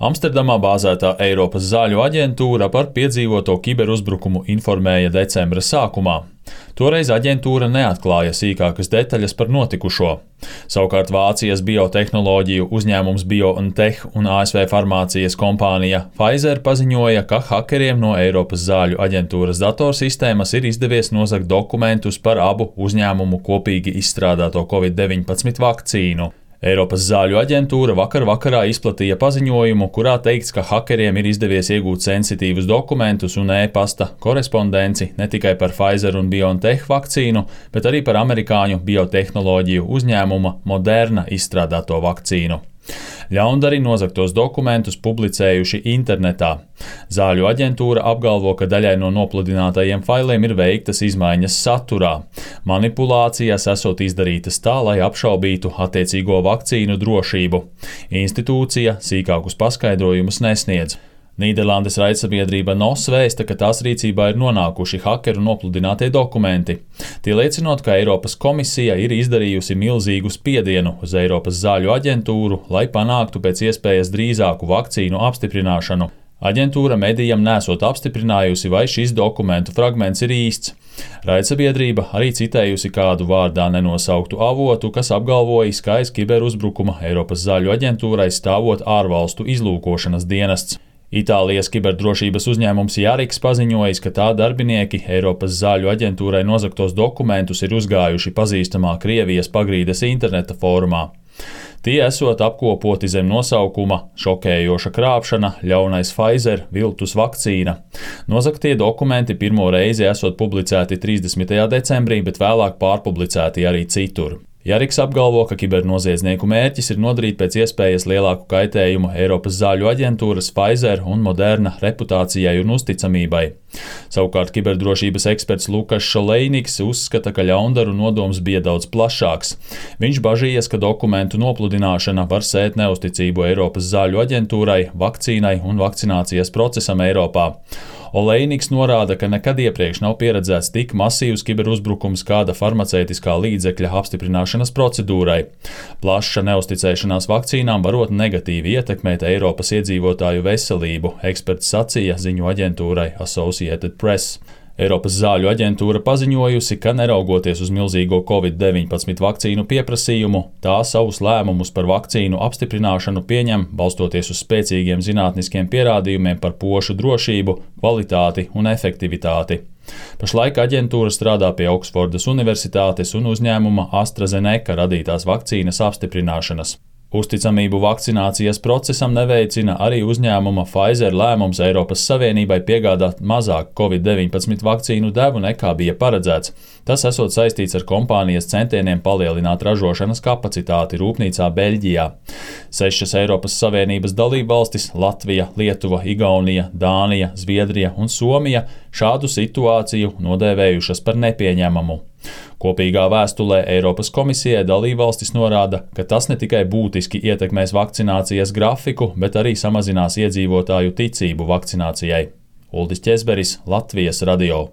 Amsterdamā bāzētā Eiropas zāļu aģentūra par piedzīvoto kiberuzbrukumu informēja decembra sākumā. Toreiz aģentūra neatklāja sīkākas detaļas par notikušo. Savukārt Vācijas biotehnoloģiju uzņēmums BioNTech un ASV farmācijas kompānija Pfizer paziņoja, ka hakeriem no Eiropas zāļu aģentūras datorsistēmas ir izdevies nozagt dokumentus par abu uzņēmumu kopīgi izstrādāto Covid-19 vakcīnu. Eiropas zāļu aģentūra vakarā izplatīja paziņojumu, kurā teikts, ka hakeriem ir izdevies iegūt sensitīvus dokumentus un e-pasta korespondenci ne tikai par Pfizer un BioNTech vakcīnu, bet arī par amerikāņu biotehnoloģiju uzņēmuma Moderna izstrādāto vakcīnu. Ļaundari nozagtos dokumentus publicējuši internetā. Zāļu aģentūra apgalvo, ka daļai no nopludinātajiem failiem ir veiktas izmaiņas saturā. Manipulācijas esot izdarītas tā, lai apšaubītu attiecīgo vakcīnu drošību. Institūcija sīkākus paskaidrojumus nesniedz. Nīderlandes raidsabiedrība NOS vēsta, ka tās rīcībā ir nonākuši hakeru nopludinātie dokumenti. Tie liecinot, ka Eiropas komisija ir izdarījusi milzīgu spiedienu uz Eiropas zāļu aģentūru, lai panāktu pēc iespējas drīzāku vakcīnu apstiprināšanu. Aģentūra medijam nesot apstiprinājusi, vai šis dokumentu fragments ir īsts. Raidsabiedrība arī citējusi kādu vārdā nenosauktu avotu, kas apgalvojis, ka aiz kiberuzbrukuma Eiropas zāļu aģentūrai stāvot ārvalstu izlūkošanas dienests. Itālijas kiberdrošības uzņēmums Jariks paziņojis, ka tā darbinieki Eiropas zāļu aģentūrai nozagtos dokumentus ir uzgājuši pazīstamā Krievijas pagrīdes interneta fórumā. Tie esot apkopoti zem nosaukuma šokējoša krāpšana, ļaunais Pfizer viltus vakcīna. Nozagtie dokumenti pirmo reizi esot publicēti 30. decembrī, bet vēlāk pārpublicēti arī citur. Jariks apgalvo, ka kibernoziedznieku mērķis ir nodarīt pēc iespējas lielāku kaitējumu Eiropas zāļu aģentūras Pfizer un Moderna reputācijai un uzticamībai. Savukārt kiberdrošības eksperts Lukas Šolejniks uzskata, ka ļaundaru nodoms bija daudz plašāks. Viņš bažījies, ka dokumentu nopludināšana var sēt neusticību Eiropas zāļu aģentūrai, vakcīnai un vakcinācijas procesam Eiropā. Olejniks norāda, ka nekad iepriekš nav pieredzēts tik masīvs kiberuzbrukums kāda farmaceitiskā līdzekļa apstiprināšanas procedūrai. Plaša neusticēšanās vakcīnām varot negatīvi ietekmēt Eiropas iedzīvotāju veselību, eksperts sacīja ziņu aģentūrai Associated Press. Eiropas zāļu aģentūra paziņojusi, ka neraugoties uz milzīgo Covid-19 vakcīnu pieprasījumu, tā savus lēmumus par vakcīnu apstiprināšanu pieņem, balstoties uz spēcīgiem zinātniskiem pierādījumiem par pošu drošību, kvalitāti un efektivitāti. Pašlaik aģentūra strādā pie Oksfordas Universitātes un uzņēmuma AstraZeneca radītās vakcīnas apstiprināšanas. Uzticamību vakcinācijas procesam neveicina arī uzņēmuma Pfizer lēmums Eiropas Savienībai piegādāt mazāk Covid-19 vakcīnu devu nekā bija paredzēts. Tas esot saistīts ar kompānijas centieniem palielināt ražošanas kapacitāti rūpnīcā Beļģijā. 6 Eiropas Savienības dalībvalstis – Latvija, Lietuva, Igaunija, Dānija, Zviedrija un Somija – šādu situāciju nodēvējušas par nepieņemamu. Kopīgā vēstulē Eiropas komisijai dalībvalstis norāda, ka tas ne tikai būtiski ietekmēs vakcinācijas grafiku, bet arī samazinās iedzīvotāju ticību vakcinācijai. Uldis Ķezberis, Latvijas radio.